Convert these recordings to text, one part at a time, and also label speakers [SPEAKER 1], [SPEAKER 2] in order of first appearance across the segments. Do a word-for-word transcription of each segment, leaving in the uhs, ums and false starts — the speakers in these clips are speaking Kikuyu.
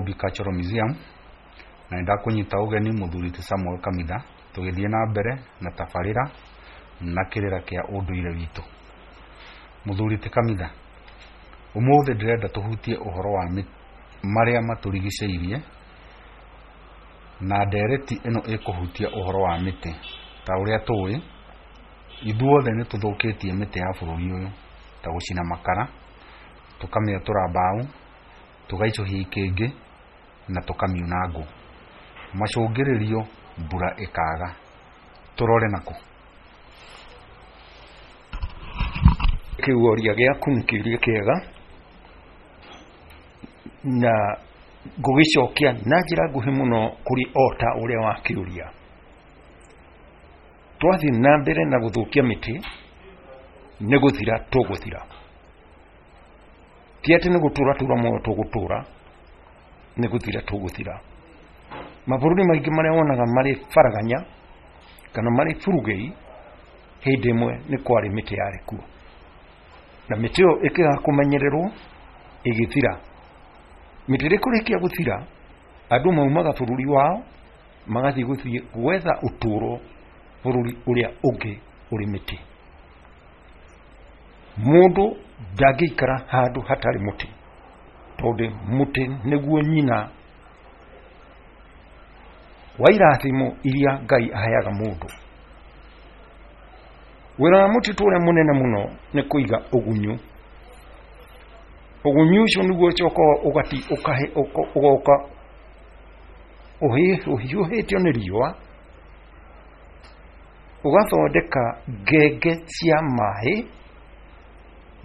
[SPEAKER 1] Nairobi Cultural Museum, na nĩ ndakũnyita ũgeni mũthuri ti Samuel Kamitha, tũgĩthiĩ na mbere na tabarĩra na kĩrĩra kĩa ũndũire witũ. Mũthuri ti Kamitha, ũmũthĩ ndĩrenda tũhutie ũhoro wa marĩa matũrigicĩirie, na ndereti ĩno ĩkũhutia ũhoro wa mĩtĩ. Ta ũrĩa tũĩ, ithuothe nĩ tũthũkĩtie mĩtĩ ya bũrũri ũyũ, ta gũcina makara, tũkamĩatũra mbaũ, tũgaicũhia ikĩngĩ na tũkamiuna ngũ. Macũngĩrĩrio mbura ĩkaga. Tũrore nakũ?
[SPEAKER 2] Kĩũria gĩaku nĩ kĩũria kĩega na ngũgĩcokia na njĩra nguhĩ mũno kũrĩ o ta ũrĩa wakĩũria. Twathiĩ na mbere na gũthũkia mĩtĩ nĩ gũthira tũgũthira. Ti atĩ nĩ gũtũra tũra muoyo tũgũtũra, nĩ gũthira tũgũthira. Mabũrũri maingĩ marĩa wonaga marĩ baraganya kana marĩ burugĩi, hĩndĩ ĩmwe nĩ kwarĩ mĩtĩ yarĩ kuo, na mĩtĩ ĩyo ĩkĩaga kũmenyererwo ĩgĩthira. Mĩtĩ ĩrĩa ĩkũrĩkia gũthira, andũ maumaga bũrũri wao magathiĩ gũthiĩ gwetha ũtũro bũrũri ũrĩa ũngĩ ũrĩ mĩtĩ. Mũndũ ndangĩikara handũ hatarĩ mũtĩ, tondũ mũtĩ nĩguo nyina wa irathimo iria Ngai aheaga mũndũ. Wĩra wa mũtitũ ũrĩa mũnene mũno nĩ kũiga ũgunyu. Ũgunyu ũcio nĩguo ũcokaga ũgati ũkahe ũgoka ũhiũhĩtio nĩ riũa, ũgathondeka ngenge cia maĩ.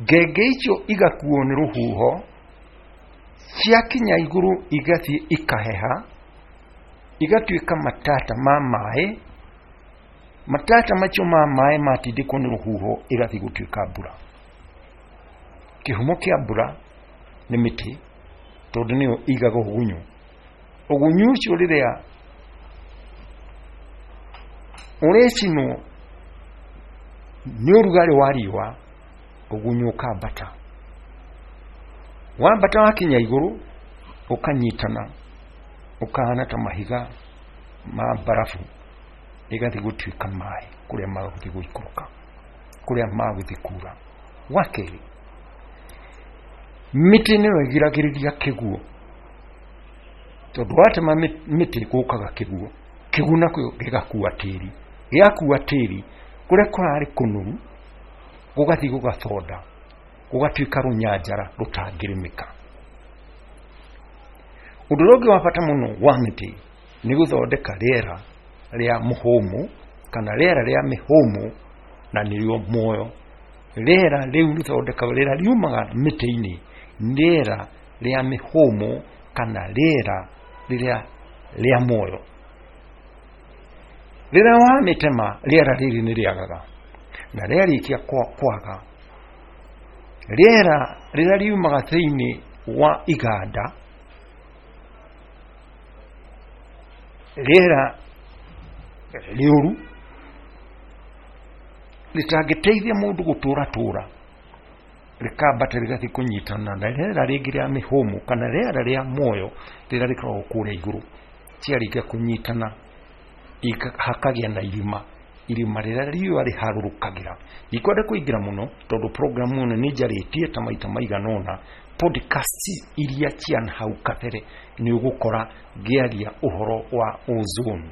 [SPEAKER 2] Ngenge icio igakuo nĩ rũhuho, ciakinya igũrũ igathiĩ ikaheha, igatuĩka matata ma maĩ. Matata macio ma maĩ matindĩkwo nĩ rũhuho ĩgathiĩ gũtuĩka mbura. Kĩhumo kĩa mbura nĩ mĩtĩ, tondũ nĩyo ĩigaga ũgunyu. Ũgunyu ũcio rĩrĩa ũrĩcinwo nĩ ũrugarĩ wa riũa, ũgunyu ũkambata. Wambata wakinya igũrũ ũkanyitana, ũkahana ta mahiga ma mbarabu, ĩgathiĩ gũtuĩka maĩ kũrĩa magũthiĩ gũikũrũka, kũrĩa magũthiĩ kura. Wa kerĩ, mĩtĩ nĩyo ĩgiragĩrĩria kĩguũ, tondũ watema mĩtĩ gũkaga kĩguũ, kĩguũ nakĩo gĩgakua tĩri, gĩakua tĩri kũrĩa kũrarĩ kũnoru gũgathiĩ gũgathonda, gũgatuĩka rũnyanjara rũtangĩrĩmĩka. Ũndũ ũrĩa ũngĩ wa bata mũno wa mĩtĩ nĩ gũthondeka rĩera rĩa mũhũmũ kana rĩera rĩa mĩhũmũ, na nĩrĩo muoyo. Rĩera rĩu rĩthondekagwo, rĩera riumaga mĩtĩ-inĩ, rĩera rĩa mĩhũmũ kana rĩera rĩrĩa rĩa muoyo. Rĩrĩa wamĩtema, rĩera rĩrĩ nĩ rĩagaga, na rĩarĩkia kwaga, rĩera rĩrĩa riumaga thĩinĩ wa iganda, rĩera rĩũru rĩtangĩteithia mũndũ gũtũra tũra, rĩkambata rĩgathiĩ kũnyitana na rĩera rĩngĩ rĩa mĩhũmũ kana rĩera rĩa muoyo rĩrĩa rĩkoragwo kũrĩa igũrũ. Ciarĩkia kũnyitana hakagĩa na irima, irima rĩrĩa riũa rĩharũrũkagĩra. Ndikwenda kũingĩra mũno tondũ programu ĩno nĩ njarĩtie ta maita maigana ũna podcast iria cia hau kabere, nĩ ũgũkora ngĩaria ũhoro wa ozone.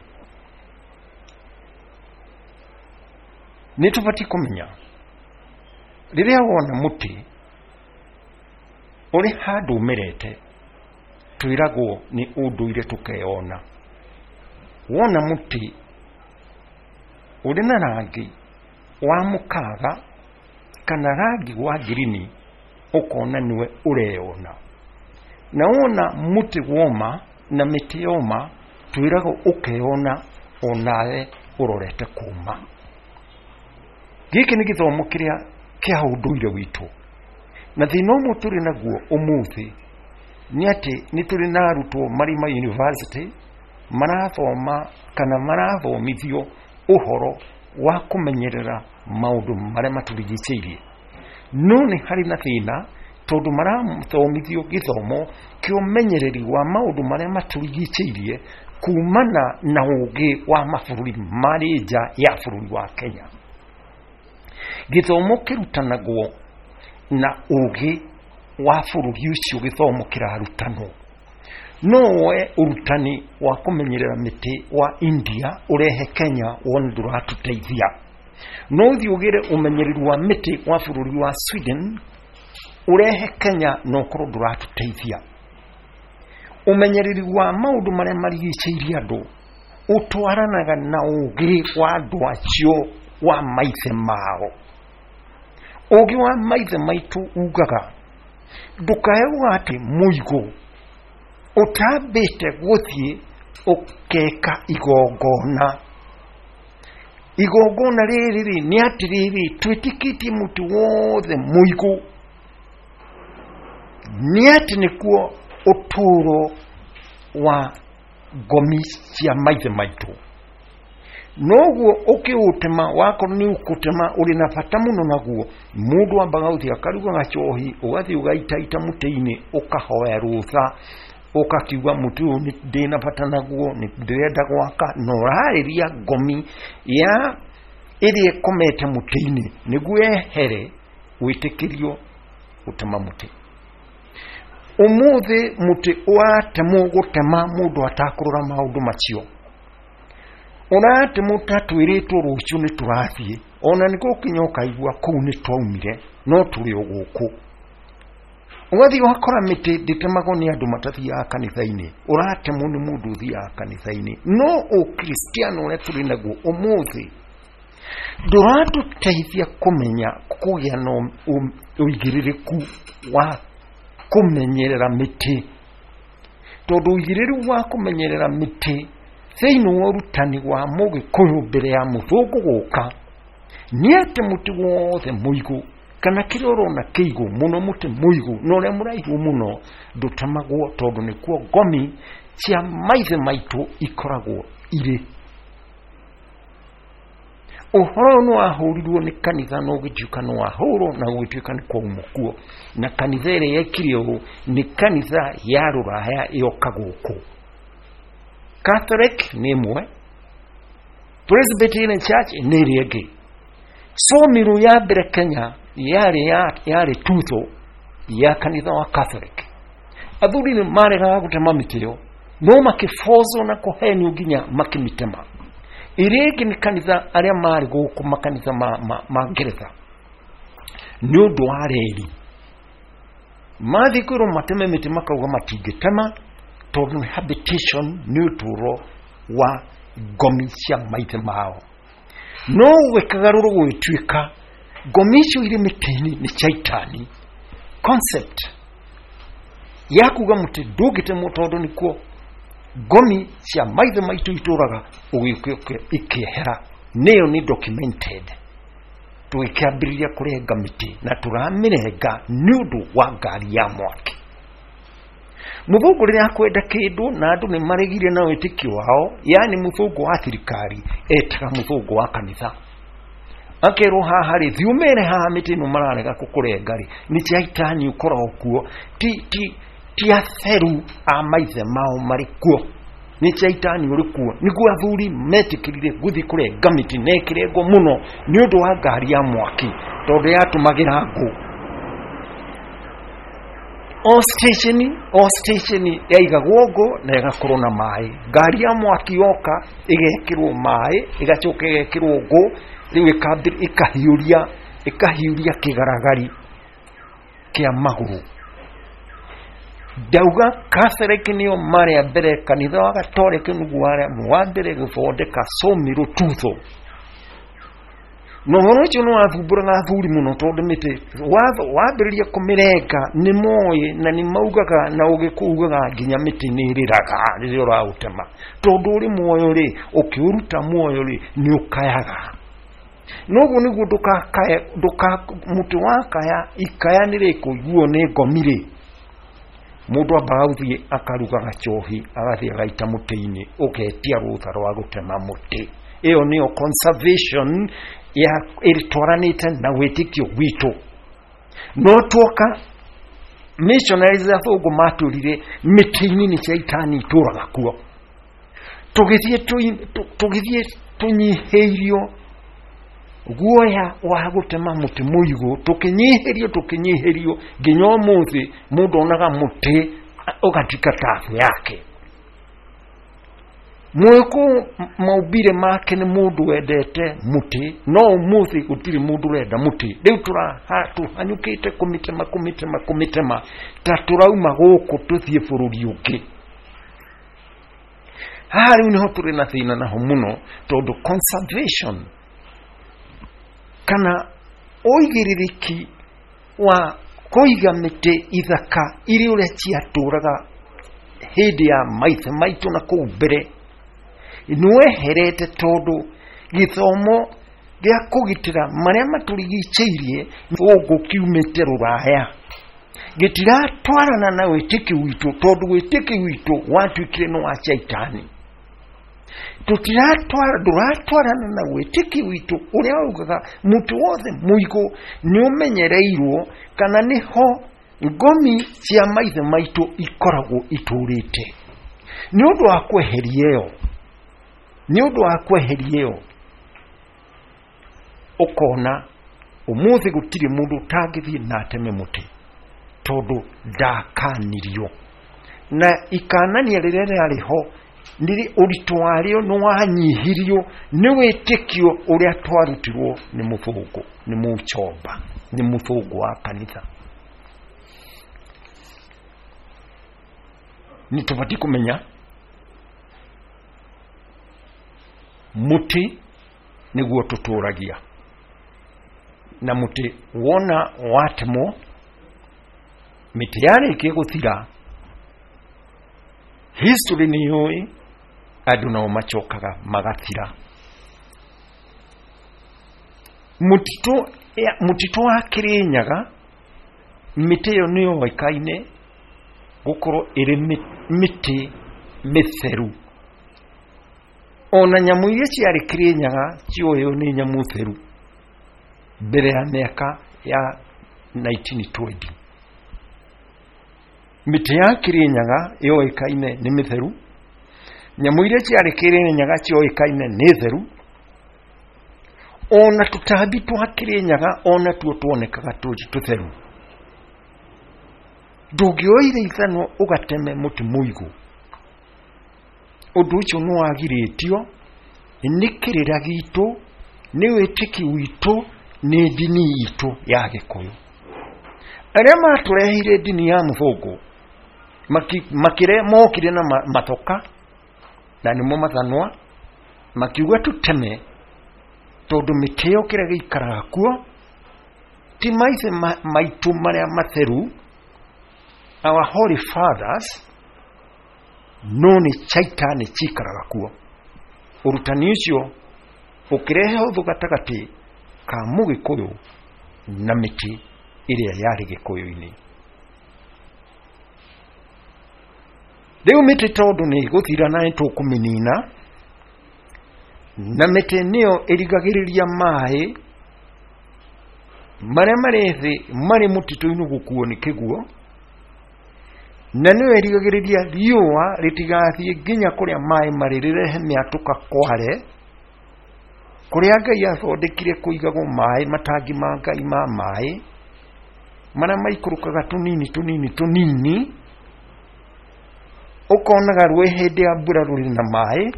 [SPEAKER 2] Nĩ tũbatiĩ kũmenya rĩrĩa wona mũtĩ ũrĩ handũ ũmerete, twĩragwo nĩ ũndũire tũkeyona. Wona mũtĩ ũrĩ na rangi wa mũkaga kana rangi wa ngirini, ũkona nĩwe ũreyona. Na wona mũtĩ woma na mĩtĩ yoma, twĩragwo ũkeyona onawe ũrorete kũma. Gĩkĩ nĩ gĩthomo kĩrĩa kĩa ũndũire witũ, na thĩna ũmwe tũrĩ naguo ũmũthĩ nĩ atĩ nĩ tũrĩ na arutwo marĩ ma university marathoma kana marathomithio ũhoro wa kũmenyerera maũndũ marĩa matũrigicĩirie, no nĩ harĩ na thĩna Tondũ marathomithio gĩthomo kĩa ũmenyereri wa maũndũ marĩa matũrigicĩirie kumana na ũgĩ wa mabũrũri marĩ nja ya bũrũri wa Kenya. Gĩthomo kĩrutanagwo na ũgĩ wa bũrũri ũcio gĩthomo kĩrarutanwo. No woe ũrutani wa kũmenyerera mĩtĩ wa India ũrehe Kenya wone ndũratũteithia. No ũthiĩ ũgĩre ũmenyereri wa mĩtĩ wa bũrũri wa Sweden ũrehe Kenya na ũkorwo ndũratũteithia. Ũmenyereri wa maũndũ marĩa marigicĩirie andũ ũtwaranaga na ũgĩ wa andũ acio wa maithe mao. Ũgĩ wa maithe maitũ ugaga ndũkae atĩ mũigũ ũtambĩte gũthiĩ ũkeka igongona. Igongona rĩrĩ rĩ nĩ atĩrĩrĩ, twĩtĩkĩtie mũtĩ wothe mũigũ nĩ atĩ nĩkuo ũtũũro wa ngomi cia maithe maitũ. Noguo ũkĩũtema wakorwo nĩ ũkũtema ũrĩ na bata mũno naguo, mũndũ ambaga gũthiĩ akaruga gacohi, ũgathiĩ ũgaitaita mũtĩ-inĩ, ũkahoya rũtha, ũkakiuga mũtĩ ũyũ ndĩna bata naguo, nĩ ndĩrenda gwaka, na ũrarĩria ngomi ya ĩrĩa ĩkomete mũtĩ-inĩ nĩguo yehere wĩtĩkĩrio gũtema mũtĩ. Ũmũthĩ mũtĩ ũratemwo gũtema mũndũ atakũrora maũndũ macio. Ũratemwo ta twĩrĩtwo rũciũ nĩ tũrathiĩ, ona nĩ gũkinya ũkaigua kũu nĩ twaumire no tũrĩ o gũkũ. Ũgathiĩ ũgakora mĩtĩ ndĩtemagwo nĩ andũ matathiaga kanitha-inĩ, ũratemwo nĩ mũndũ ũthiaga kanitha-inĩ. No ũkristiano ũrĩa tũrĩ naguo ũmũthĩ ndũratũteithia kũmenya kũgĩa na ũigĩrĩrĩku wa kũmenyerera mĩtĩ. Tondũ ũigĩrĩrĩku wa kũmenyerera mĩtĩ thĩinĩ wa ũrutani wa mũgĩkũyũ mbere ya mũthũngũ gũka nĩ atĩ mũtĩ wothe mũigũ kana kĩrĩa ũrona kĩigũ mũno, mũtĩ mũigũ na ũrĩa mũraihu mũno ndũtemagwo, tondũ nĩkuo ngomi cia maithe maitũ ikoragwo irĩ. Ũhoro ũyũ nĩ wahũrirwo nĩ kanitha na ũgĩtuĩka nĩ wahũrwo na ũgĩtuĩka nĩ kwaumwo kuo. Na kanitha ĩrĩa yekire ũũ nĩ kanitha ya rũraya yoka gũkũ. Catholic nĩ ĩmwe, Presbyterian Church nĩ ĩrĩa ĩngĩ. Sawmill ya mbere Kenya yarĩ yarĩ tutho ya kanitha wa Catholic. Athuri nĩ maregaga gũtema mĩtĩ ĩyo, no makĩbocwo na kũhenio nginya makĩmĩtema. Ĩrĩa ĩngĩ nĩ kanitha arĩa marĩ gũkũ makanitha ma, ma, ma Ngeretha nĩ ũndũ wa reri mathiĩ kwĩrwo mateme mĩtĩ makauga matingĩtema tondũ nĩ habitation, nĩ ũtũũro wa ngomi cia maithe mao. No gwĩkagarũrwo gũgĩtuĩka ngomi icio irĩ mĩtĩ-inĩ nĩ caitani. Concept ya kuga mũtĩ ndũngĩtemwo tondũ nĩkuo ngomi cia maithe maitũ itũraga ũgĩũka ikĩehera, nĩyo nĩ documented. Tũgĩkĩambĩrĩria kũrenga mĩtĩ na tũramĩrenga nĩ ũndũ wa ngari ya mwaki. Mũthũngũ rĩrĩa akwenda kĩndũ na andũ nĩ maregire na wĩtĩkio wao, yani mũthũngũ wa thirikari etaga mũthũngũ wa kanitha, akerwo haha rĩ, thiĩ ũmere haha mĩtĩ ĩno mararega kũkũrenga rĩ, nĩ caitani ũkoragwo kuo, ti ti ti atheru a maithe mao marĩ kuo, nĩ caitani ũrĩ kuo. Nĩguo athuri metĩkĩrire gũthiĩ kũrenga mĩtĩ na ĩkĩrengwo mũno nĩ ũndũ wa ngari ya mwaki tondũ yatũmagĩra ngũ. O station o station yaigagwo ngũ na ĩgakorwo na maĩ. Ngari ya mwaki yoka ĩgekĩrwo maĩ, ĩgacoka ĩgekĩrwo ngũ, rĩu ĩkahiũria ĩkahiũria kĩgaragari kĩa magũrũ. Ndauga Catholic nĩo marĩ a mbere, kanitha wa Gatoreki nĩguo wa mbere gũthondeka sawmill tutho. Na ũhoro ũcio nĩ wathumbũraga athuri mũno tondũ mĩtĩ wambĩrĩria kũmĩrenga nĩ moĩ na nĩ maugaga na ũgĩkũyũ ugaga nginya mĩtĩ nĩ ĩrĩraga rĩrĩa ũraũtema, tondũ ũrĩ muoyo rĩ, ũkĩũruta muoyo rĩ, nĩ ũkayaga. Noguo nĩguo ndũkakaye, ndũka mũtĩ wakaya ikaya nĩ rĩkũiguo nĩ ngomi rĩ, mũndũ ambaga gũthiĩ akaruga gacohi agathiĩ agaita mũtĩ-inĩ, ũgetia rũtha rwa gũtema mũtĩ. Ĩyo nĩyo conservation ya ĩtwaranĩte na wĩtĩkio witũ. No tuoka Missionaries athũngũ matũrire mĩtĩ-inĩ nĩ caitani itũraga kuo. Tũgĩthiĩ tũgĩthiĩ tũnyihĩirio guoya wa gũtema mũtĩ mũigũ, tũkĩnyihĩrio tũkĩnyihĩrio nginya ũmũthĩ mũndũ onaga mũtĩ ũgatuĩka tabu yake. Mũgĩkũyũ maumbire make nĩ mũndũ wendete mũtĩ, no ũmũthĩ gũtirĩ mũndũ ũrenda mũtĩ. Rĩu tũhanyũkĩte kũmĩtema kũmĩtema kũmĩtema ta tũrauma gũkũ tũthiĩ bũrũri ũngĩ. Haha rĩu nĩho tũrĩ na thĩna naho mũno, tondũ conservation kana ũigĩrĩrĩki wa kũiga mĩtĩ ithaka irĩ ũrĩa ciatũraga hĩndĩ ya maithe maitũ na kũu mbere nĩweherete, tondũ gĩthomo gĩa kũgitĩra marĩa matũrigicĩirie gũkũ kiumĩte rũraya gĩtiratwarana na wĩtĩkio witũ, tondũ wĩtĩkio witũ watuĩkire nĩ wa caitani. Tũtiratwara ndũratwarana na wĩtĩkio witũ ũrĩa waugaga mũtĩ wothe mũigũ nĩ ũmenyereirwo kana nĩho ngomi cia maithe maitũ ikoragwo itũrĩte. Nĩ ũndũ wa kweheria ĩyo, nĩ ũndũ wa kweheria ĩyo ũkona ũmũthĩ gũtirĩ mũndũ ũtangĩthiĩ na ateme mũtĩ tondũ ndakanirio. Na ikanania rĩrĩa rĩarĩ ho nĩ ũritũ warĩo nĩ wanyihirio nĩ wĩtĩkio ũrĩa twarutirwo nĩ mũthũngũ, nĩ mũchomba, nĩ mũthũngũ wa kanitha. Nĩ tũbatiĩ kũmenya mũtĩ nĩguo tũtũragia, na mũtĩ wona watemwo, mĩtĩ yarĩkia gũthira, history nĩ yũĩ andũ nao macokaga magathira. Mũtitũ mũtitũ wa Kĩrĩnyaga mĩtĩ ĩyo nĩ yoĩkaine gũkorwo ĩrĩ mĩtĩ mĩtheru. Ona nyamũ iria ciarĩ Kĩrĩnyaga cioĩo nĩ nyamũ theru mbere ya mĩaka ya nineteen twenty. Mĩtĩ ya Kĩrĩnyaga yoĩkaine nĩ mĩtheru, nyamũ iria ciarĩ Kĩrĩnyaga cioĩkaine nĩ theru, ona tũtambi twa Kĩrĩnyaga ona tuo tuonekaga tũrĩ tũtheru. Ndũngĩoire ithanwa ũgateme mũtĩ mũigũ, ũndũ ũcio nĩ wagirĩtio nĩ kĩrĩra gitũ, nĩ wĩtĩki witũ, nĩ ndini itũ ya Gĩkũyũ. Arĩa matũreheire ndini ya mũthũngũ makire mokire na matoka na nĩmo mathanwa, makiuga tũteme tondũ mĩtĩ ĩyo kĩrĩa gĩikaraga kuo ti maithe maitũ marĩa matheru, our holy fathers, no nĩ caitani cikaraga kuo. Ũrutani ũcio ũkĩrehe ũthũ gatagatĩ ka mũgĩkũyũ na mĩtĩ ĩrĩa yarĩ Gĩkũyũ-inĩ. Rĩu mĩtĩ tondũ nĩ ĩgũthira na nĩtũkũmĩnina, na mĩtĩ nĩyo ĩrigagĩrĩria maĩ marĩa marĩ thĩ marĩ mũtitũ-inĩ gũkuo nĩ kĩguo, na nĩyo ĩrigagĩrĩria riũa rĩtigathiĩ nginya kũrĩa maĩ marĩ rĩrehe mĩatũka kware, kũrĩa Ngai athondekire kũigagwo maĩ, matangi ma Ngai ma maĩ marĩa maikũrũkaga tũnini tũnini tũnini, ũkonaga rũĩ hĩndĩ ya mbura rũrĩ na maĩ,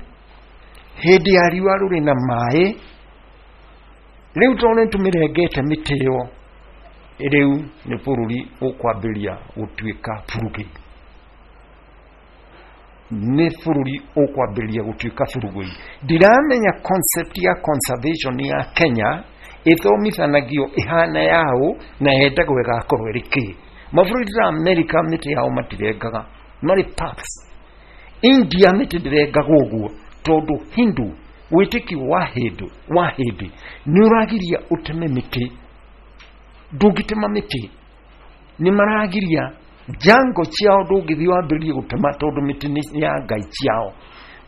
[SPEAKER 2] hĩndĩ ya riũa rũrĩ na maĩ. Rĩu tondũ nĩtũmĩrengete mĩtĩ ĩyo, rĩu nĩ bũrũri ũkwambĩrĩria gũtuĩka burugĩ, nĩ bũrũri ũkwambĩrĩria gũtuĩka burugĩ. Ndiramenya concept ya conservation ya Kenya ĩthomithanagio ĩhana yaũ na yendagwo ĩgakorwo ĩrĩ kĩ. Mabũrũri ta America mĩtĩ yao matirengaga, marĩ parks. India mĩtĩ ndĩrengagwo ũguo tondũ Hindu, wĩtĩkio wa Hindu wa Hindi nĩ ũragiria ũteme mĩtĩ, ndũngĩtema mĩtĩ. Nĩ maragiria njango ciao, ndũngĩthiĩ wambĩrĩrie gũtema tondũ mĩtĩ nĩ ya ngai ciao.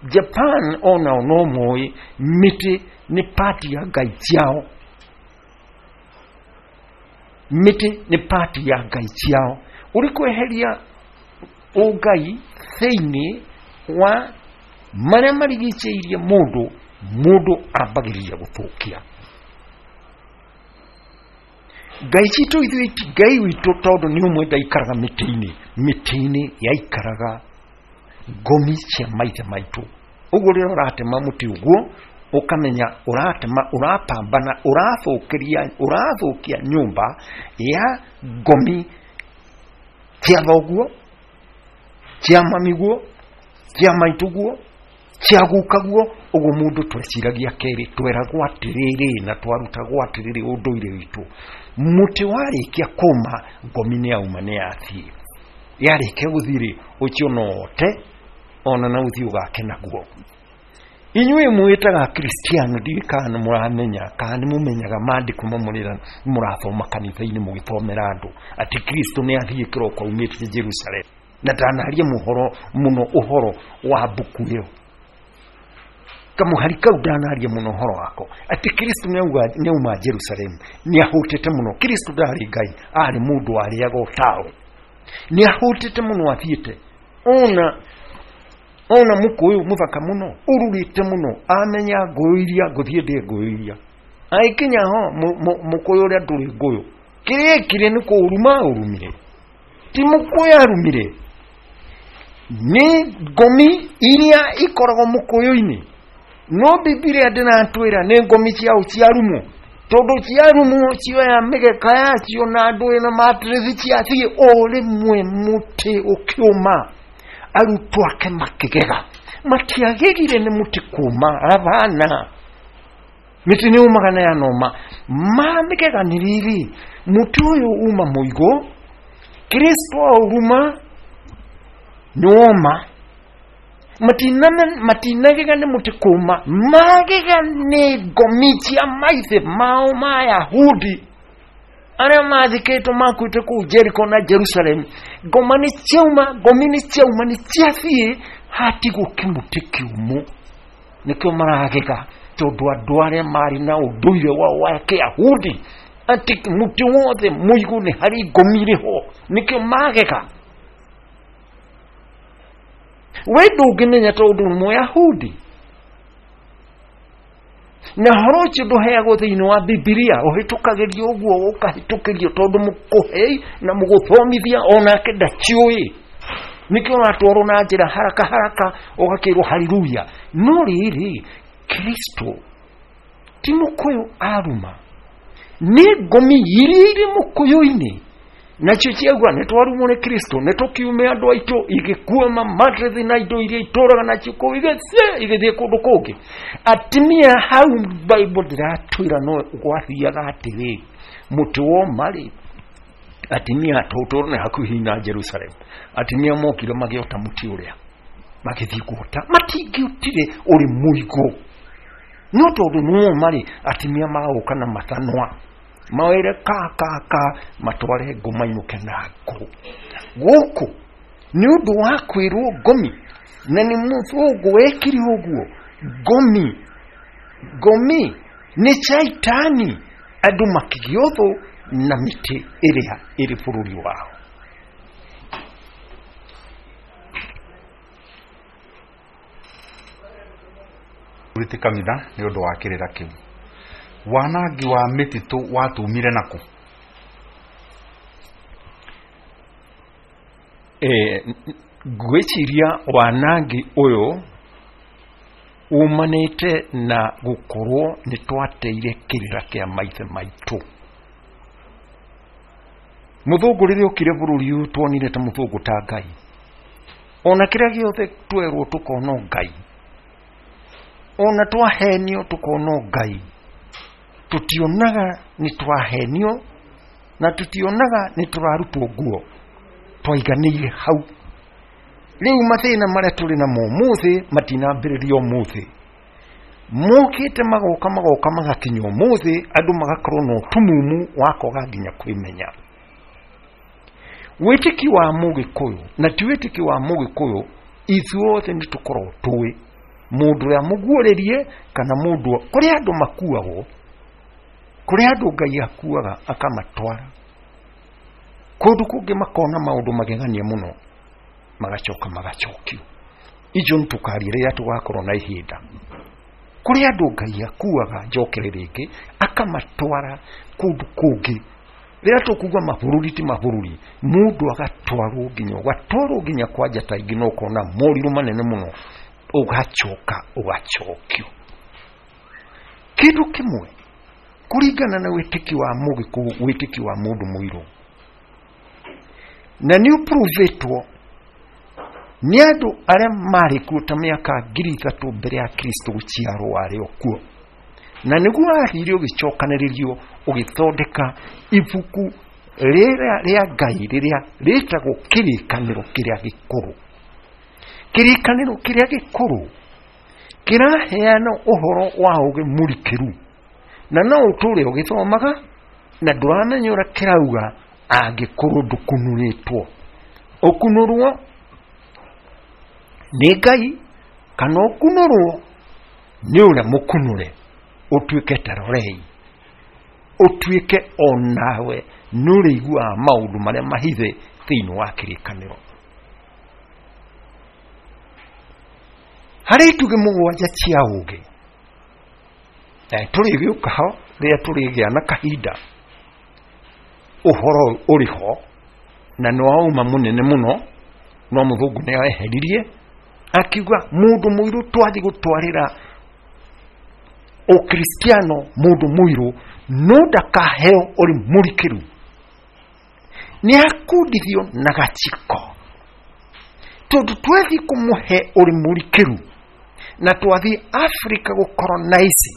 [SPEAKER 2] Japan onao no moĩ mĩtĩ nĩ part ya ngai ciao, mĩtĩ nĩ part ya ngai ciao. Ũrĩ kweheria ũngai thĩinĩ wa marĩa marigicĩirie mũndũ, mũndũ ambagĩrĩria gũthũkia. Ngai citũ ithuĩ ti Ngai witũ tondũ nĩ ũmwe ndaikaraga mĩtĩ-inĩ, mĩtĩ-inĩ yaikaraga ngomi cia maithe maitũ. Ũguo rĩrĩa ũratema mũtĩ ũguo ũkamenya ũratema, ũrapambana, ũrathũkĩria, ũrathũkia nyũmba ya ngomi cia thoguo, cia mamiguo, cia maitũguo, cia gukaguo. Ũguo mũndũ tweciragia kerĩ, tweragwo atĩrĩrĩ na twarutagwo atĩrĩrĩ ũndũire witũ, mũtĩ warĩkia kũma ngomi nĩ yauma nĩ yathiĩ, yarĩkia gũthiĩ rĩ, ũcio no ote ona na ũthiĩ ũgake naguo. Inyuĩ mwĩtaga Kristiano, ndiũĩ kana nĩ mũramenya kana nĩ mũmenyaga maandĩko mamwe rĩrĩa mũrathoma kanitha-inĩ mũgĩthomera andũ atĩ Kristo nĩ athiĩ kĩroko aumĩte Jerusalem, na ndanaria mũhoro mũno ũhoro wa mbuku ĩyo, kamũhari kau ndanaria mũno ũhoro wako atĩ Kristo nĩ auma Jerusalem, nĩ ahũtĩte mũno. Kristo ndarĩ Ngai, arĩ mũndũ warĩaga ũtawe, nĩ ahũtĩte mũno athiĩte ona ona mũkũyũ mũthaka mũno ũrurĩte mũno, amenya ngũyũ iria ngũthiĩ ndĩe ngũyũ iria, agĩkinya ho mũkũyũ ũrĩa ndũrĩ ngũyũ, kĩrĩa ekire nĩ kũũruma ũrumire, ti mũkũyũ arumire, nĩ ngomi iria ikoragwo mũkũyũ-inĩ. No Bibilia ndĩratwĩra nĩ ngomi ciao ciarumwo, tondũ ciarumwo cioya mĩgeka yacio na ndũĩ na matĩrĩthi ciathiĩ o rĩmwe mũtĩ ũkĩũma. Arutwo ake makĩgega, matiagegire nĩ mũtĩ kũma, abana mĩtĩ nĩ ũmaga na yanoma. Mamĩgega nĩ rĩrĩ, mũtĩ ũyũ uma mũigũ, Kristo aũruma nĩ woma. Matinagega nĩ mũtĩ kũma, magega nĩ ngomi cia maithe mao ma Yahudi arĩa mathikĩtwo makuĩte kũu Jericho na Jerusalem. Ngoma nĩ ciauma, ngomi nĩ ciauma, nĩ ciathiĩ, hatigwo kĩmũtĩ kĩũmũ. Nĩkĩo maragega, tondũ andũ arĩa marĩ na ũndũire wao wa Kĩyahudi atĩ mũtĩ wothe mũigũ nĩ harĩ ngomi ĩrĩ ho, nĩkĩo magega. We ndũngĩmenya tondũ nĩ Mũyahudi, na ũhoro ũcio ndũheagwo thĩinĩ wa Bibilia, ũhĩtũkagĩrio ũguo ũkahĩtũkĩrio tondũ mũkũhei na mũgũthomithia onake ndaciũĩ, nĩkĩo ũratwarwo na njĩra haraka haraka ũgakĩrwo haleluya. No rĩrĩ, Kristo ti mũkũyũ aruma, nĩ ngomi iria irĩ mũkũyũ-inĩ, nacio ciauga nĩ twarumwo nĩ Kristo, nĩ tũkiume andũ aitũ, igĩkua mamatrethi na indo iria itũraga nacio kũu, igĩthiĩ igĩthiĩ kũndũ kũngĩ. Atumia hau Bible ndĩratwĩra no gwathiaga atĩrĩ, mũtĩ woma rĩ, atumia tũtũrũ nĩ hakuhĩ na Jerusalem, atumia mokire magĩota mũtĩ ũrĩa, magĩthiĩ kuota, matingĩũtire ũrĩ mũigũ, no tondũ nĩ woma rĩ, atumia magoka na mathanwa mawĩre ka ka ka matware ngũ mainũke na ngũ. Gũkũ nĩ ũndũ wa kwĩrwo ngomi, na nĩ mũthũngũ wekire ũguo. Ngomi ngomi nĩ caitani, andũ makĩgĩa ũthũ na mĩtĩ ĩrĩa ĩrĩ bũrũri wao.
[SPEAKER 1] Ti kanitha nĩ ũndũ wa kĩrĩra kĩu. Wanangi wa mĩtitũ watumire nakũ?
[SPEAKER 2] Eh, ngwĩciria wanangi ũyũ umanĩte na gũkorwo nĩ twateire kĩrĩra kĩa maithe maitũ. Mũthũngũ rĩrĩa okire bũrũri ũyũ tuonire ta mũthũngũ ta Ngai, ona kĩrĩa gĩothe twerwo tũkona Ngai, ona twahenio tũkona Ngai, tutionaga nĩ twahenio na tutionaga nĩ tũrarutwo nguo, twaiganĩire hau. Rĩu mathĩna marĩa tũrĩ namo ũmũthĩ matinambĩrĩria ũmũthĩ, mokĩte magoka magoka magakinya ũmũthĩ, andũ magakorwo na ũtumumu wa kwaga nginya kwĩmenya. Wĩtĩki wa Mũgĩkũyũ na ti wĩtĩki wa Mũgĩkũyũ, ithuothe nĩ tũkoragwo tũĩ mũndũ ũrĩa mũguũrĩrie kana mũndũ kũrĩ andũ makuagwo, kũrĩ andũ Ngai akuaga akamatwara. Kũndũ kũngĩ makona maũndũ magegania mũno, magacoka magacokio. Icio nĩtũkaria rĩrĩa tũgakorwo na ihinda. Kũrĩ andũ Ngai akuaga njokere rĩngĩ akamatwara kũndũ kũngĩ. Rĩrĩa tũkuga mabũrũri ti mabũrũri, mũndũ agatwarwo nginya ũgatwarwo nginya kwa njata ingĩ na ũkona morirũ manene mũno, ũgacoka ũgacokio. Kĩndũ kĩmwe kũringana na wĩtĩkio wa mũgĩkũyũ, wĩtĩkio wa mũndũ mũirũ, na nĩ ũpruvĩtwo nĩ andũ arĩa marĩ kuo ta mĩaka ngiri ithatũ mbere ya Kristo gũciarwo arĩ o kuo, na nĩguo wathire ũgĩcokanĩrĩrio ũgĩthondeka ibuku rĩrĩa rĩa Ngai rĩrĩa rĩtagwo Kĩrĩkanĩro Kĩrĩa Gĩkũrũ. Kĩrĩkanĩro Kĩrĩa Gĩkũrũ kĩraheana ũhoro wa ũũgĩ mũrikĩru, na no ũtũre ũgĩthomaga na ndũramenya ũrĩa kĩrauga angĩkorwo ndũkunũrĩtwo. Ũkunũrwo nĩ Ngai kana ũkunũrwo nĩ ũrĩa mũkunũre, ũtuĩke tarorei, ũtuĩke onawe nĩ ũrĩiguaga maũndũ marĩa mahithe thĩinĩ wa kĩrĩkanĩro. Harĩ itugĩ mũgwanja cia ũũgĩ, na tũrĩgĩũka ho rĩrĩa tũrĩgĩa na kahinda. Ũhoro ũrĩ ho na nĩ wauma mũnene mũno, no mũthũngũ nĩ eheririe akiuga mũndũ mũirũ twathiĩ gũtwarĩra ũkristiano mũndũ mũirũ no ndakaheo ũrĩ mũrikĩru, nĩ akundithio na gaciko, tondũ twathiĩ kũmũhe ũrĩ mũrikĩru na twathiĩ Africa gũcolonize.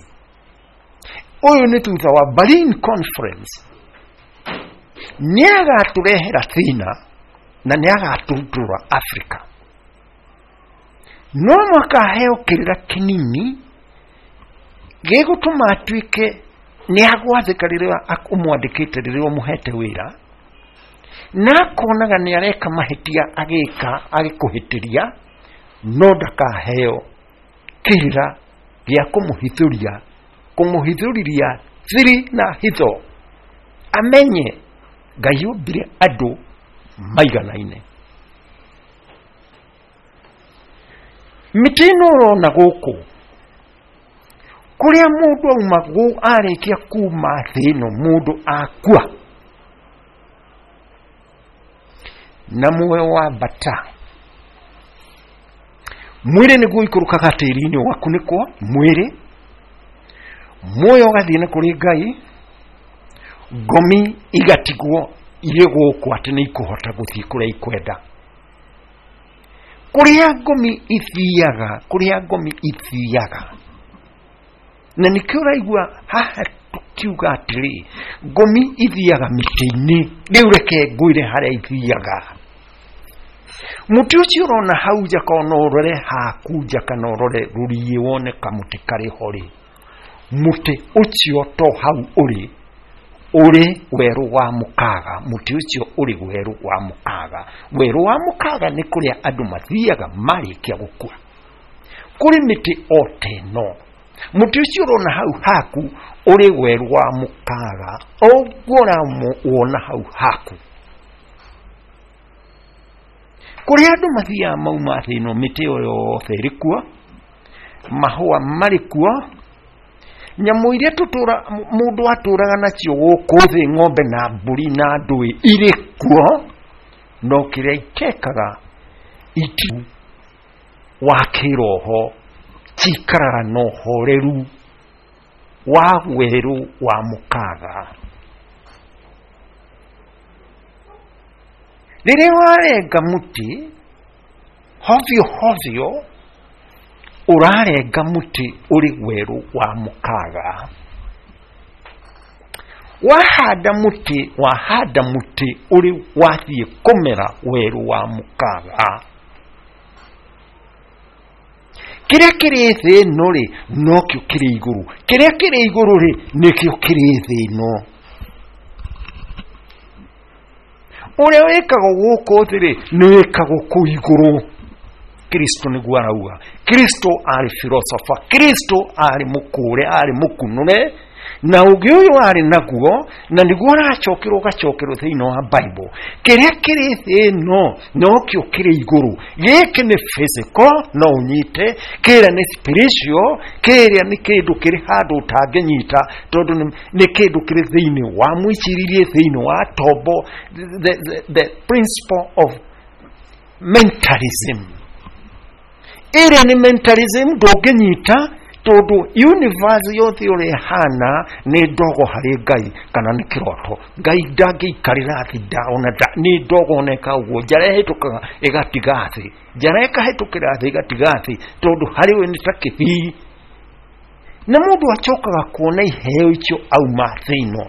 [SPEAKER 2] Ũyũ nĩ thutha wa Berlin Conference, nĩ agatũrehera thĩna na nĩ agatũrutũra Africa. No mũhaka aheo kĩrĩra kĩnini gĩgũtũma atuĩke nĩ agwathĩka rĩrĩa ũmwandĩkĩte, rĩrĩa ũmũhete wĩra, na akonaga nĩ areka mahĩtia agĩka agĩkũhĩtĩria, no ndakaheo kĩrĩra gĩa kũmũhithũria, kũmũhithũrĩria thiri na hitho, amenye Ngai ombire andũ maiganaine. Mĩtĩ ĩno ũrona gũkũ kũrĩa mũndũ auma arĩkia kuma thĩ ĩno, mũndũ akua na muoyo wambata, mwĩrĩ nĩguo ũikũrũkaga tĩri-inĩ ũgakunĩkwo mwĩrĩ, muoyo ũgathiĩ na kũrĩ Ngai, ngomi igatigwo irĩ gũkũ atĩ nĩ ikũhota gũthiĩ kũrĩa ikwenda. Kũrĩa ngomi ithiaga, kũrĩa ngomi ithiaga, na nĩkĩo ũraigua haha tũkiuga atĩrĩ ngomi ithiaga mĩtĩ-inĩ. Rĩu reke ngwĩre harĩa ithiaga. Mũtĩ ũcio ũrona hau nja, kana ũrore haku nja, kana ũrore rũriĩ wone kamũtĩ karĩ ho rĩ, mũtĩ ũcio to hau ũrĩ, ũrĩ werũ wa mũkaga. Mũtĩ ũcio ũrĩ werũ wa mũkaga. Werũ wa mũkaga nĩ kũrĩa andũ mathiaga marĩkia gũkua. Kũrĩ mĩtĩ o ta ĩno. Mũtĩ ũcio ũrona hau haku ũrĩ werũ wa mũkaga, ũguo ũramũwona hau haku. Kũrĩa andũ mathiaga mauma thĩ ĩno, mĩtĩ ĩyo yothe ĩrĩ kuo, mahũa marĩ kuo, nyamũ iria tũtũra mũndũ atũraga nacio gũkũ thĩ, ng'ombe na mbũri na ndũĩ irĩ kuo, no kĩrĩa itekaga iti wa kĩroho cikaraga na ũhoreru wa werũ wa mũkaga. Rĩrĩa warenga mũtĩ hovyo hovyo, ũrarenga mũtĩ ũrĩ werũ wa mũkaga. Wahanda mũtĩ, wahanda mũtĩ ũrĩ wathiĩ kũmera werũ wa mũkaga. Kĩrĩa kĩrĩ thĩ ĩno rĩ, nokĩo kĩrĩ igũrũ. Kĩrĩa kĩrĩ igũrũ rĩ, nĩkĩo kĩrĩ thĩ ĩno. Ũrĩa wĩkagwo gũkũ thĩ rĩ, nĩ wĩkagwo kũu igũrũ. Kristo nĩguo arauga. Kristo arĩ philosopher, Kristo arĩ mũkũre, arĩ mũkunũre, Na ũgĩ ũyũ arĩ naguo na nĩguo ũracokerwo ũgacokerwo thĩinĩ wa Bible. Kĩrĩa kĩrĩ thĩ ĩno nokĩo kĩrĩ igũrũ. Gĩkĩ nĩ physical no ũnyite, kĩrĩa nĩ spiritual, kĩrĩa nĩ kĩndũ kĩrĩ handũ ũtangĩnyita tondũ nĩ kĩndũ kĩrĩ thĩinĩ wa mwĩcirĩrie, thĩinĩ wa tombo, the, the, the principle of mentalism. Ĩrĩa nĩ mentalism ndũngĩnyita tondũ universe yothe ũrĩa ĩhana nĩ ndogo harĩ Ngai kana nĩ kĩroto. Ngai ndangĩikarĩra thĩ ona nĩ ndogo ona ĩka ũguo, njara ĩhĩtũkaga ĩgatiga thĩ, njara ĩkahĩtũkĩra thĩ ĩgatiga thĩ tondũ harĩ we nĩ ta kĩbii. Na mũndũ acokaga kuona iheo icio auma thĩ ĩno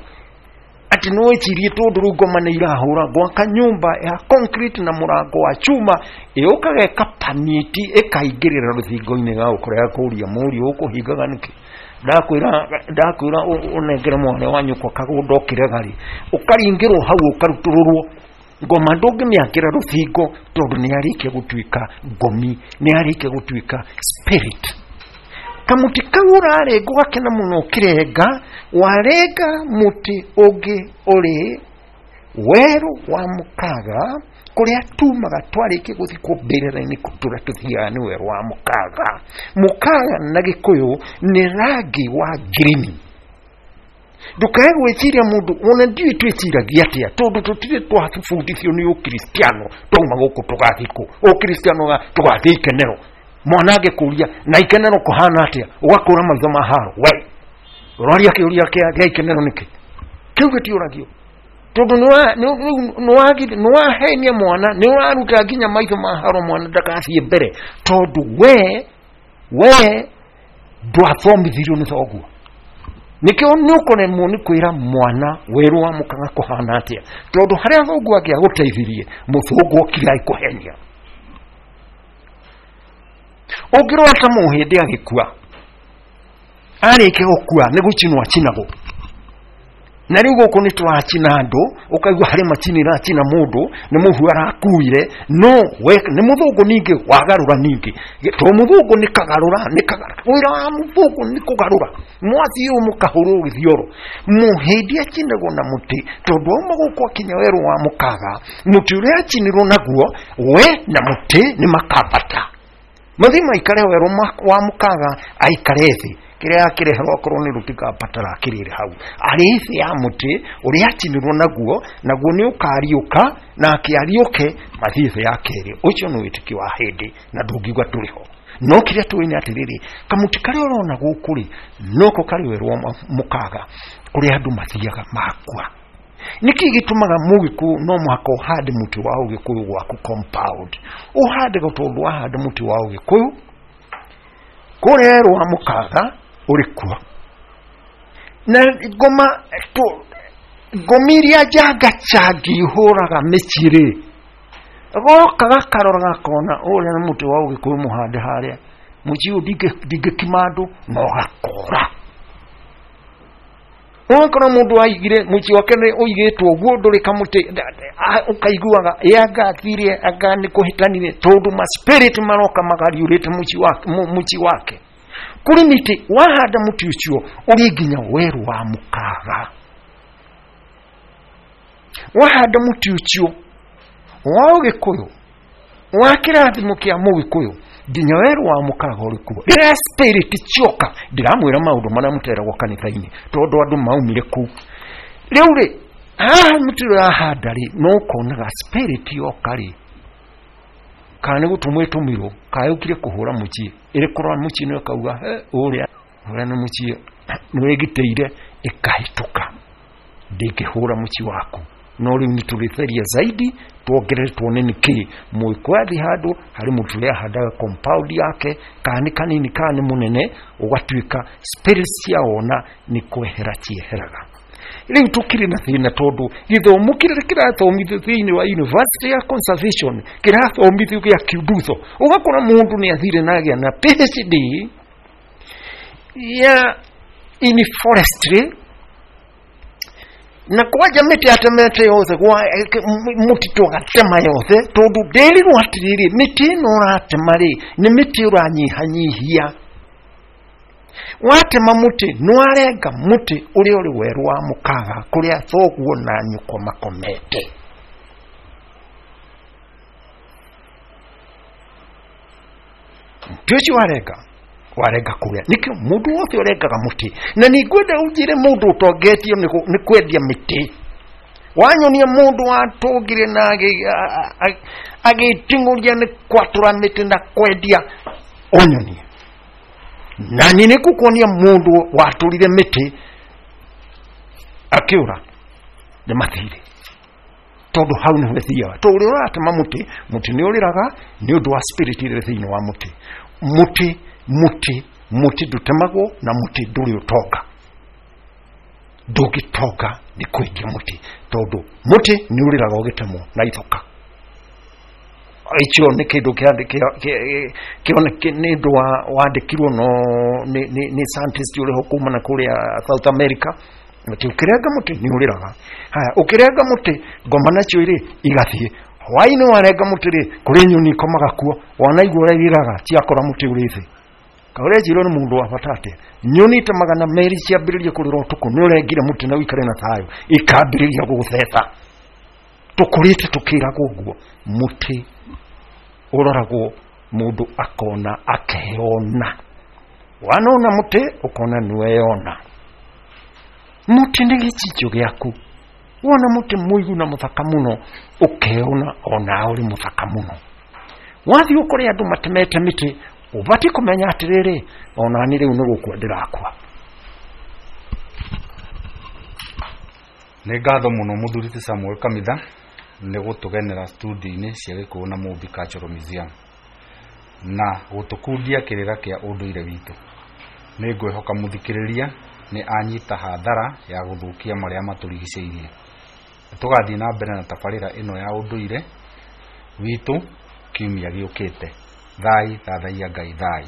[SPEAKER 2] atĩ no wĩcirie tondũ rĩu ngoma nĩ irahũra gwaka nyũmba ya concrete na mũrango wa chuma ĩũkaga ĩkapanĩti ĩkaingĩrĩra rũthingo-inĩ gagũkora kũria mũriũ ũkũhingaga nĩkĩ? Ndakwĩra ndakwĩra ũnengere mwana wa nyũkwa kagũnda ũkĩrega rĩ, ũkaringĩrwo hau ũkarutũrũrwo. Ngoma ndũngĩmĩakĩra rũthingo tondũ nĩ yarĩkia gũtuĩka ngomi, nĩ yarĩkia gũtuĩka spirit. Kamuti kau ũrarenga ũgakena mũno ũkĩrenga, warenga mũtĩ ũngĩ ũrĩ werũ wa mũkaga kũrĩa tumaga twarĩkia gũthikwo mbĩrĩra-inĩ tũrĩa tũthiaga nĩ werũ wa mũkaga. Mũkaga na Gĩkũyũ nĩ rangi wa ngirini. Ndũkae gwĩciria mũndũ ona ndiũĩ twĩciragia atĩa tondũ tũtirĩ twabundithio nĩ ũkristiano twauma gũkũ tũgathiĩ kũ ũkristiano tũgathiĩ ikenero. Mwana angĩkũria na ikenero kũhana atĩa ũgakũra maitho ma haro we ũroria kĩũria kĩa ikenero nĩkĩ? Kĩu gĩtiũragio tondũ nĩwahenia mwana, nĩũraruta nginya maitho ma haro mwana ndagathiĩ mbere tondũ we we ndwathomithirio nĩ thoguo. Nĩkĩo nĩũkũremwo nĩ kwĩra mwana werũ wa mũkaga kũhana atĩa tondũ harĩa thoguo angĩagũteithirie mũthũngũ okire agĩkũhenia. Ũngĩrora ta mũhĩndĩ agĩkua arĩkia gũkua nĩ gũcinwo acinagwo. Na rĩu gũkũ nĩ tũracina andũ ũkaigua harĩ macini ĩracina mũndũ nĩ mũhu arakuire, no we nĩ mũthũngũ ningĩ wagarũra ningĩ tondũ mũthũngũ nĩ kagarũra nĩ kagarũra wĩra wa mũthũngũ nĩ kũgarũra mwathiĩ ũũ mũkahũrwo gĩthioro. Mũhĩndĩ acinagwo na mũtĩ tondũ auma gũkũ akinya werũ wa mũkaga mũtĩ ũrĩa acinirwo naguo we na mũtĩ nĩ makambata mathiĩ maikare werũ wa mũkaga aikare thĩ kĩrĩa akĩreherwo akorwo nĩ rũtikambatara akĩrĩre hau arĩ thĩ ya mũtĩ ũrĩa acinirwo naguo naguo nĩ ũkariũka na akĩariũke mathiĩ thĩ ya kerĩ. Ũcio nĩ wĩtĩkio wa hĩndĩ na ndũngiuga tũrĩ ho. No kĩrĩa tũĩ nĩ atĩrĩrĩ kamũtĩ karĩa ũrona gũkũ rĩ noko karĩ werũ wa mũkaga kũrĩa andũ mathiaga makua. Nĩkĩ gĩtũmaga mũgĩkũyũ no mũhaka ũhande mũtĩ wa ũgĩkũyũ gwaku compound? Ũhande tondũ wahanda mũtĩ wa ũgĩkũyũ kũrĩa werũ wa mũkaga ũrĩ kuo. Na ngoma ngomi iria njanga changi ihũraga mĩciĩ rĩ goka gakarora gakona ũrĩa nĩ mũtĩ wa ũgĩkũyũ mũhande harĩa mũciĩ ũyũ ndingĩkima andũ no gakora. Ũgakora mũndũ aigire mũciĩ wake nĩ ũigĩtwo ũguo ndũrĩ kamũtĩ ũkaiguaga ĩ anga athire anga nĩ kũhĩtanire tondũ ma spirit maroka magariũrĩte mũciĩ wake. Kũrĩ mĩtĩ wahanda mũtĩ ũcio ũrĩ nginya werũ wa mũkaga. Wahanda mũtĩ ũcio wa ũgĩkũyũ wa kĩrathimo kĩa mũgĩkũyũ nginya werũ wa mũkaga ũrĩ kuo. Rĩrĩa spirit cioka ndĩramwĩra maũndũ marĩa mũteragwo kanitha-inĩ tondũ andũ maumire kũu. Rĩu rĩ haha mũtĩ ũrĩa wahanda rĩ no ũkonaga spirit yoka rĩ kana nĩ gũtũmwo ĩtũmirwo kana yũkire kũhũra mũciĩ ĩrĩ kũrora mũciĩ nĩ ĩkauga he ũrĩa ũrĩa nĩ mũciĩ nĩ wĩgitĩire ĩkahĩtũka ndĩngĩhũra mũciĩ waku. No rĩu nĩ tũrĩtheria zaidi tuongerere tuone nĩkĩ mũgĩkũyũ athiĩ handũ harĩ mũtĩ ũrĩa ahandaga compound yake kana nĩ kanini kana nĩ mũnene ũgatuĩka spirits ciawona nĩ kwehera cieheraga. Rĩu tũkĩrĩ na thĩna tondũ gĩthomo kĩrĩa kĩrathomithio thĩinĩ wa University ya Conservation kĩrathomithio gĩa kiundutho ũgakora mũndũ nĩ athire na agĩa na PhD ya in forestry na kwanja mĩtĩ atemete yothe mũtitũ agatema yothe tondũ ndĩrirwo atĩrĩrĩ mĩtĩ ĩno ũratema rĩ nĩ mĩtĩ ũranyihanyihia. Watema mũtĩ nĩwarenga mũtĩ ũrĩa ũrĩ werũ wa mũkaga kũrĩa thoguo na nyũkwa makomete. Mũtĩ ũcio warenga warenga kũrĩa nĩkĩo mũndũ wothe ũrengaga mũtĩ. Na nĩngwenda ũnjĩre mũndũ ũtongetio nĩ kwendia mĩtĩ. Wanyonia mũndũ watũngire na agĩting'ũria nĩ kwatũra mĩtĩ na kwendia, ũnyonie. Na niĩ nĩngũkuonia mũndũ watũrire mĩtĩ akĩũra nĩ mathirĩ, tondũ hau nĩho ĩthiaga. Tondũ ũrĩa ũratema mũtĩ, mũtĩ nĩ ũrĩraga nĩ ũndũ wa spirit ĩrĩa thĩinĩ wa mũtĩ. Mũtĩ mũtĩ mũtĩ ndũtemagwo na mũtĩ ndũrĩ ũtonga. Ndũngĩtonga nĩ kwendia mũtĩ, tondũ mũtĩ nĩ ũrĩraga ũgĩtemwo na ithoka. Icio nĩ kĩndũ nĩ ũndũ wandĩkirwo no nĩ scientist ũrĩ ho kuma na kũrĩa South America, atĩ ũkĩrenga mũtĩ nĩ ũrĩraga. Haya, ũkĩrenga mũtĩ ngoma nacio rĩ igathiĩ. Hwaĩ-inĩ warenga mũtĩ rĩ, kũrĩ nyoni ikomaga kuo, wanaigua ũrĩa irĩraga ciakora mũtĩ ũrĩ thĩ. Kaũrenjirwo nĩ mũndũ wa bata atĩa? Nyoni ta magana merĩ ciambĩrĩria kũrĩra ũtukũ, nĩ ũrengire mũtĩ na ũikare na thayũ, ikambĩrĩria gũgũtheta. Tũkũrĩte tũkĩragwo ũguo, mũtĩ ũroragwo mũndũ akona akeyona. Wanona mũtĩ ũkona nĩweyona. Mũtĩ nĩ gĩcicio gĩaku. Wona mũtĩ mũigu na mũthaka mũno, ũkeona onawe ũrĩ mũthaka mũno. Wathiĩ ũkore andũ matemete mĩtĩ, ũbatiĩ kũmenya atĩrĩrĩ, onani rĩu nĩ gũkua ndĩrakua.
[SPEAKER 1] Nĩ ngatho mũno mũthuri ti Samuel Kamitha nĩ gũtũgenera studio-inĩ cia Gĩkũyũ na Mũmbi Cultural Museum na gũtũkundia kĩrĩra kĩa ũndũire witũ. Nĩ ngwĩhoka mũthikĩrĩria nĩ anyita hathara ya gũthũkia marĩa matũrigicĩirie. Tũgathiĩ na mbere na tabarĩra ĩno ya ũndũire witũ kiumia gĩũkĩte. Thai thathaiya Ngai thai.